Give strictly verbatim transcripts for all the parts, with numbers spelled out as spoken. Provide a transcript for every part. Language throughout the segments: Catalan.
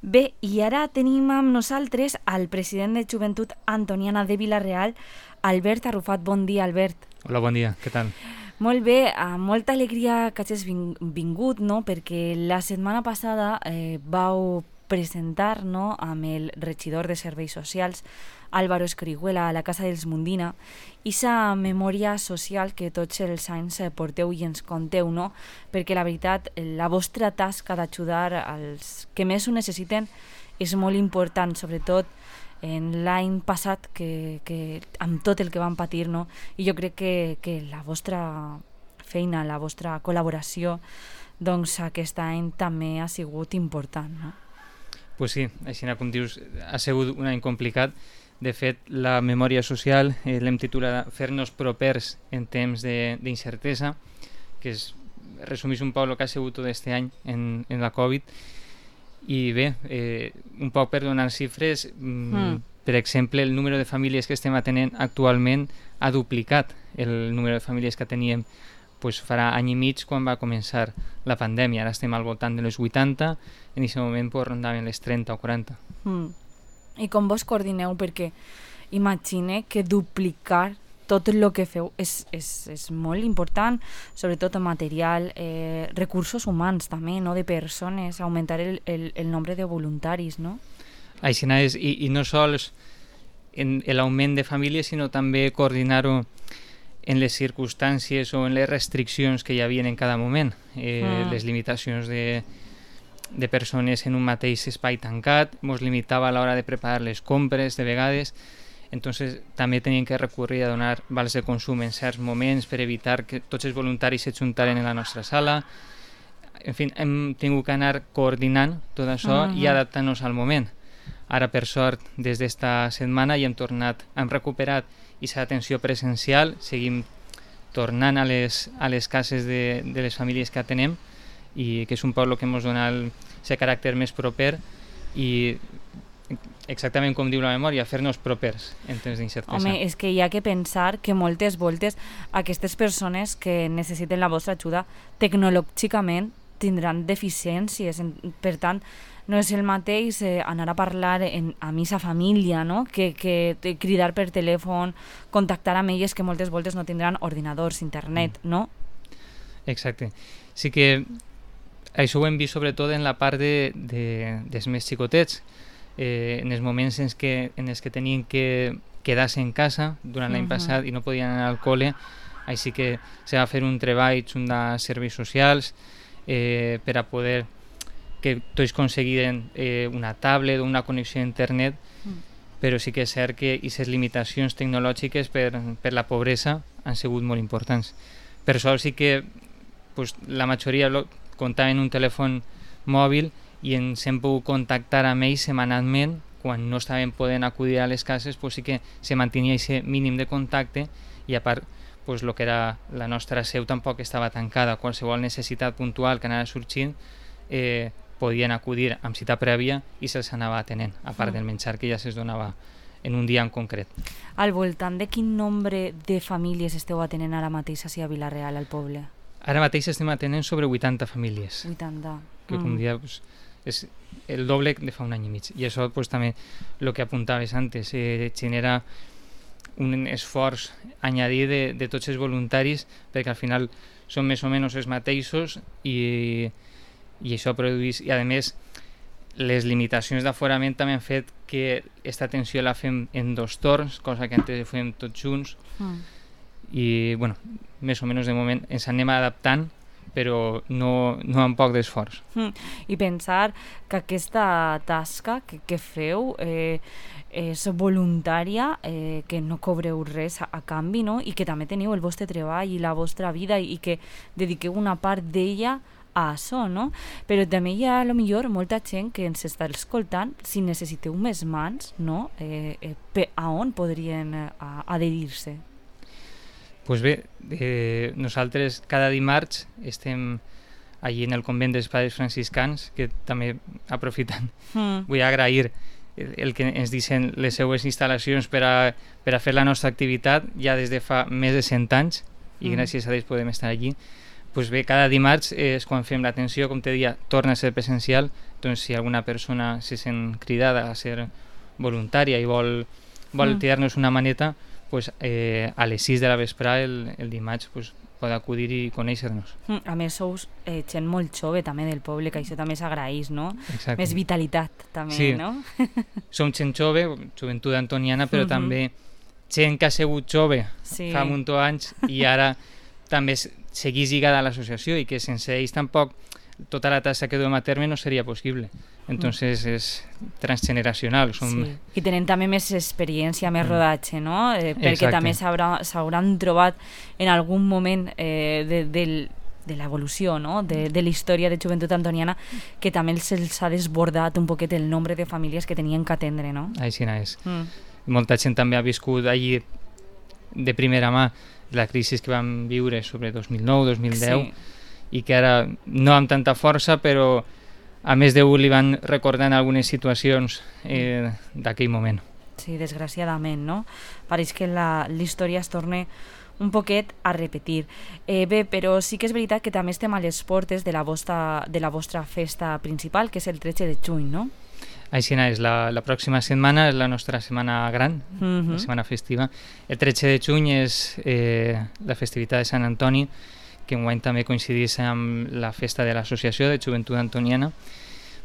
Bé, i ara tenim amb nosaltres el president de Joventut Antoniana de Vila-real, Albert Arrufat. Bon dia, Albert. Hola, bon dia, què tal? Molt bé, amb molta alegria que hagis vingut, no? Perquè la setmana passada eh, vau presentar, no, amb el regidor de Serveis Socials, Álvaro Escrihuela, a la Casa dels Mundina, aquesta memòria social que tots els anys porteu i ens conteu, no? Perquè la veritat, la vostra tasca d'ajudar als que més ho necessiten és molt important, sobretot en l'any passat, que, que, amb tot el que van patir, no? I jo crec que, que la vostra feina, la vostra col·laboració, doncs aquest any també ha sigut important, no? Pues sí, així com dius, ha sigut un any complicat. De fet, la memòria social eh, l'hem titulat Fer-nos propers en temps d'incertesa, que és, resumís un poc el que ha sigut tot aquest any en, en la Covid. I bé, eh, un poc per donar xifres, mm. per exemple, el número de famílies que estem atenent actualment ha duplicat el número de famílies que teníem pues, farà any i mig quan va començar la pandèmia. Ara estem al voltant de les vuitanta, en aquest moment pues, rondaven les trenta o quaranta. Mm. I com vos coordineu? Perquè imagine que duplicar tot el que feu és, és, és molt important, sobretot material, eh, recursos humans també, no? De persones, augmentar el, el, el nombre de voluntaris, no? Així és, i, i no sols en l'augment de famílies, sinó també coordinar-ho en les circumstàncies o en les restriccions que hi havia en cada moment, eh, mm. les limitacions de de persones en un mateix espai tancat, ens limitava a l'hora de preparar les compres de vegades, entonces també teníem que recurrir a donar vals de consum en certs moments per evitar que tots els voluntaris s'ajuntaren en la nostra sala. En fi, hem tingut que anar coordinant tot això uh-huh. i adaptant-nos al moment. Ara, per sort, des d'esta setmana ja hem tornat, hem recuperat aquesta atenció presencial, seguim tornant a les, a les cases de, de les famílies que atenem, i que és un poc el que ens dona aquest caràcter més proper i exactament com diu la memòria, fer-nos propers en temps d'incertesa. Home, és que hi ha que pensar que moltes voltes aquestes persones que necessiten la vostra ajuda tecnològicament tindran deficiències, per tant no és el mateix eh, anar a parlar en, amb aquesta família, no? que, que cridar per telèfon, contactar amb elles que moltes voltes no tindran ordinadors, internet, mm. no? Exacte. Sí que això ho hem vist sobretot en la part de, de, dels més xicotets, eh, en els moments en els que, en els que tenien que quedar-se en casa durant l'any uh-huh. passat i no podien anar al col·le, així que se va fer un treball junt de serveis socials eh, per a poder que tots aconseguiren eh, una tablet o una connexió a internet, uh-huh. però sí que és cert que aquestes limitacions tecnològiques per, per la pobresa han sigut molt importants. Per això sí que pues, la majoria lo, comptaven un telèfon mòbil i ens hem pogut contactar amb ells setmanalment. Quan no estaven podent acudir a les cases, pues sí que se mantenia aquest mínim de contacte i a part pues, lo que era la nostra seu tampoc estava tancada. Qualsevol necessitat puntual que anava sorgint eh, podien acudir amb cita prèvia i se'ls anava atenent, a part del menjar que ja se'ls donava en un dia en concret. Al voltant de quin nombre de famílies esteu atenent ara mateix a Vila-real, al poble? Ara mateix estem atenent sobre vuitanta famílies. vuitanta. Que com mm. dia pues, és el doble de fa un any i mig. I això pues, també el que apuntaves antes, eh, genera un esforç añadir de, de tots els voluntaris perquè al final són més o menys els mateixos i, i això produeix, i a més les limitacions d'aforament també han fet que aquesta atenció la fem en dos torns, cosa que antes fem tots junts. Mm. I bueno, més o menys de moment ens anem adaptant, però no, no amb poc d'esforç. Mm. I pensar que aquesta tasca que, que feu eh, és voluntària, eh, que no cobreu res a, a canvi, no? I que també teniu el vostre treball i la vostra vida i, i que dediqueu una part d'ella a això, no? Però també hi ha a lo millor molta gent que ens està escoltant, si necessiteu més mans, no? Eh, eh, a on podrien eh, adherir-se? Pues bé, eh, nosaltres cada dimarts estem allí en el convent dels Pares Franciscans, que també aprofitant mm. vull agrair el que ens deixen les seues instal·lacions per a, per a fer la nostra activitat ja des de fa més de cent anys i mm. gràcies a ells podem estar allí. pues bé, cada dimarts és quan fem l'atenció, com te deia, torna a ser presencial, doncs si alguna persona se sent cridada a ser voluntària i vol, vol mm. tirar-nos una maneta, pues, eh, a les sis de la vesprada el, el dimarts pues, pot acudir i conèixer-nos. Mm, a més, sou eh, gent molt jove també del poble, que això també s'agraeix, no? Exacte. Més vitalitat també, sí. no? Som gent jove, joventut antoniana, però mm-hmm. també gent que ha sigut jove sí. fa un munt d'anys i ara també seguís lligada a l'associació i que sense ells tampoc tota la tasca que duem a terme no seria possible. Entonces mm. és transgeneracional. Som... Sí. I tenen també més experiència, més mm. rodatge, no? Eh, perquè Exacte. també s'hauran trobat en algun moment eh, de, del, de l'evolució, no? de, de la història de joventut antoniana, que també se'ls ha desbordat un poquet el nombre de famílies que tenien que atendre, no? Així és. Mm. Molta gent també ha viscut allí de primera mà la crisi que vam viure sobre dos mil nou dos mil deu sí. i que ara no amb tanta força, però a més d'un li van recordant algunes situacions eh, d'aquell moment. Sí, desgraciadament, no? Pareix que la, la història es torna un poquet a repetir. Eh, bé, però sí que és veritat que també estem a les portes de la vostra, de la vostra festa principal, que és el tretze de juny, no? Així és, la, la pròxima setmana és la nostra setmana gran, mm-hmm. la setmana festiva. El tretze de juny és eh, la festivitat de Sant Antoni, que enguany també coincideix amb la festa de l'Associació de Joventut Antoniana,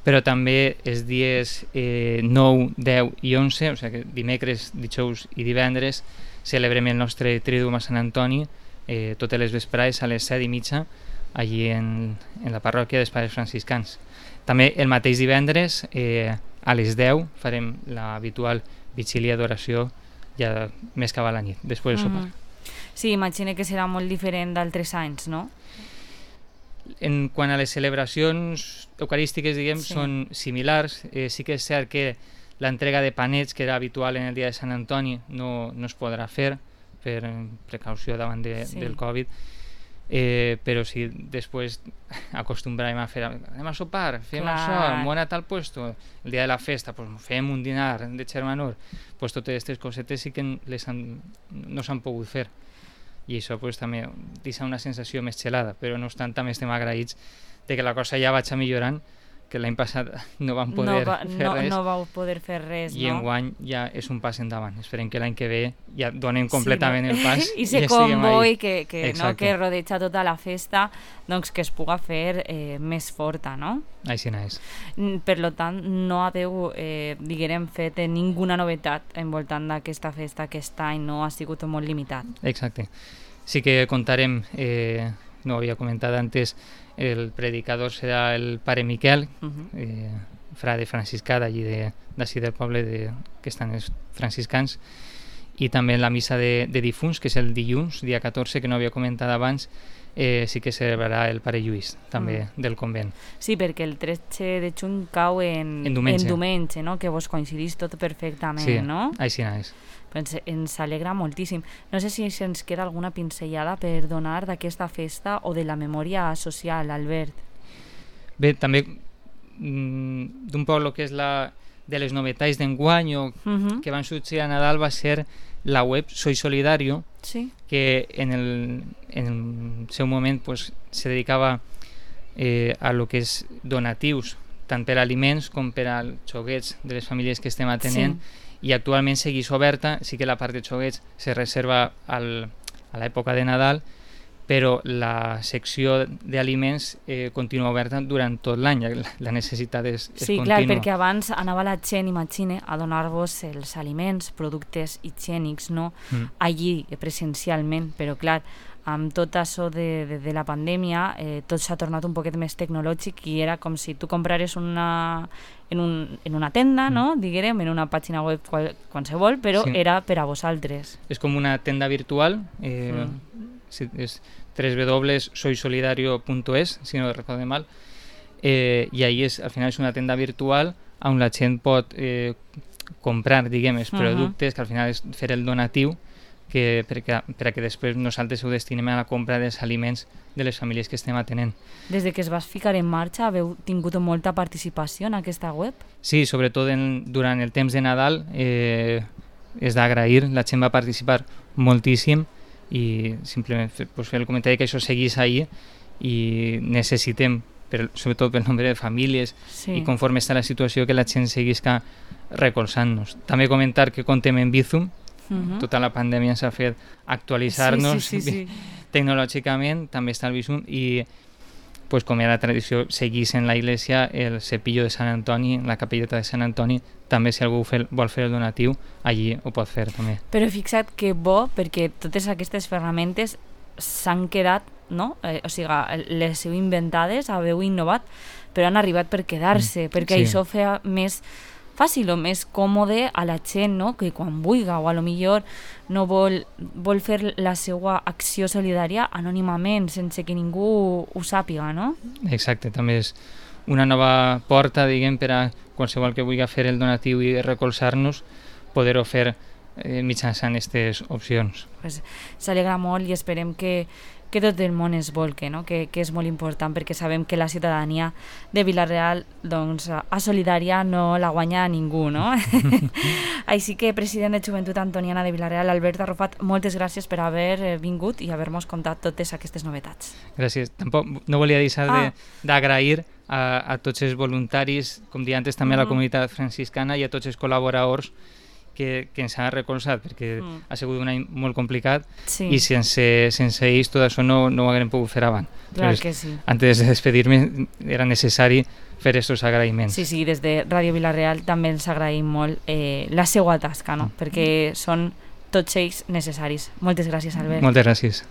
però també els dies eh, nou, deu i onze, o sigui que dimecres, dijous i divendres, celebrem el nostre Triduum a Sant Antoni, eh, totes les vesprades a les set i mitja, allí en, en la parròquia dels Pares Franciscans. També el mateix divendres, eh, a les deu, farem l'habitual vigília d'oració ja més cap a la nit, després del sopar. Mm. Sí, imagino que serà molt diferent d'altres anys, no? En quant a les celebracions eucarístiques, diguem, sí. són similars. Eh, sí que és cert que l'entrega de panets, que era habitual en el dia de Sant Antoni, no, no es podrà fer per precaució davant de, sí. del Covid. Eh, però si després acostumbràvem a fer anem a sopar, fem Clar. això, anem a tal puesto, el dia de la festa pues, fem un dinar de germanor, pues, totes aquestes cosetes sí que les han, no s'han pogut fer i això pues, també deixa una sensació més xelada, però no obstant també estem agraïts de que la cosa ja vaig millorant, que l'any passat no vam poder no va, fer no, res no vau poder fer res, i no? enguany ja és un pas endavant. Esperem que l'any que ve ja donem completament sí, no? el pas i se ja convoi que, que, no, que rodeja tota la festa, doncs que es puga fer eh, més forta, no? Així és. Per lo tant, no haveu, eh, diguem, fet ninguna novetat envoltant d'aquesta festa. Aquest any no ha sigut molt limitat. Exacte. Sí que contarem, eh, no ho havia comentat antes, el predicador serà el pare Miquel, uh-huh. eh, frare franciscà d'allí de, d'ací del poble de, que estan els franciscans, i també la missa de, de difunts, que és el dilluns, dia catorze, que no havia comentat abans, eh, sí que celebrarà el pare Lluís, també uh-huh. del convent. Sí, perquè el tretze de juny cau en, en diumenge, en diumenge, no? Que vos coincidís tot perfectament, sí, no? Així és. Ens, ens alegra moltíssim. No sé si ens queda alguna pinzellada per donar d'aquesta festa o de la memòria social, Albert. Bé, també mm, d'un poc el que és la, de les novetats d'enguany o uh-huh. que van sorgir a Nadal va ser la web Soy Solidario, sí. que en el, en el seu moment pues, se dedicava eh, a lo que és donatius, tant per aliments com per als xoguets de les famílies que estem atenent, sí. i actualment segueix oberta. Sí que la part de xoguets se reserva al, a l'època de Nadal, però la secció d'aliments eh, continua oberta durant tot l'any, la, la necessitat és, és sí, contínua. Sí, clar, perquè abans anava la gent, imagine, a donar-vos els aliments, productes higiènics, no? Mm. Allí, presencialment, però clar, amb tot això de, de, de la pandèmia, eh, tot s'ha tornat un poquet més tecnològic i era com si tu comprares una, en, un, en una tenda, mm. no? Diguem, en una pàgina web qual, qualsevol, però sí. era per a vosaltres. És com una tenda virtual, eh, mm. sí, és doble u doble u doble u punt soy solidario punt es, si no recordo mal, eh, i ahí és, al final és una tenda virtual on la gent pot eh, comprar, diguem, els productes, uh-huh. que al final és fer el donatiu, que perquè, perquè després nosaltres ho destinem a la compra dels aliments de les famílies que estem atenent. Des de que es vas ficar en marxa, haveu tingut molta participació en aquesta web? Sí, sobretot en, durant el temps de Nadal eh, és d'agrair, la gent va participar moltíssim i simplement fer, pues, fer el comentari que això seguís ahir i necessitem, per, sobretot pel nombre de famílies Sí. i conforme està la situació, que la gent seguisca recolzant-nos. També comentar que contem en Bizum, Mhm. tota la pandèmia ens ha fet actualitzar-nos Sí, sí, sí, sí. tecnològicament, també està el Bizum, i pues, com era la tradició, seguís en la iglesia el cepillo de Sant Antoni, la capelleta de Sant Antoni, també si algú fel, vol fer el donatiu, allí ho pot fer també. Però fixa't que bo, perquè totes aquestes ferramentes s'han quedat, no? Eh, o sigui, les heu inventades, haveu innovat, però han arribat per quedar-se, Mm, perquè sí. això feia més fàcil o més còmode a la gent, no? Que quan vulga o a lo millor no vol, vol fer la seva acció solidària anònimament, sense que ningú ho sàpiga, no? Exacte, també és una nova porta, diguem, per a qualsevol que vulgui fer el donatiu i recolzar-nos, poder-ho fer eh, mitjançant aquestes opcions. Pues, s'alegra molt i esperem que, que tot el món es volque, no? que, que és molt important, perquè sabem que la ciutadania de Vila-real, doncs, a solidària no la guanya ningú, no? Així que, president de Joventut Antoniana de Vila-real, Albert Arrufat, moltes gràcies per haver vingut i haver-nos contat totes aquestes novetats. Gràcies. Tampoc no volia deixar Ah. de- d'agrair a, a tots els voluntaris, com deia antes, també a la Mhm. comunitat franciscana i a tots els col·laboradors que, que ens han recolzat, perquè Mm. ha sigut un any molt complicat Sí, i sense, sense ells tot això no, no ho haguem pogut fer abans. clar Entonces, que sí. antes de despedir-me era necessari fer aquests agraïments. Sí, sí, des de Ràdio Vila-real també ens agraïm molt eh, la seva tasca, no? Perquè són tots ells necessaris. Moltes gràcies, Albert. Moltes gràcies.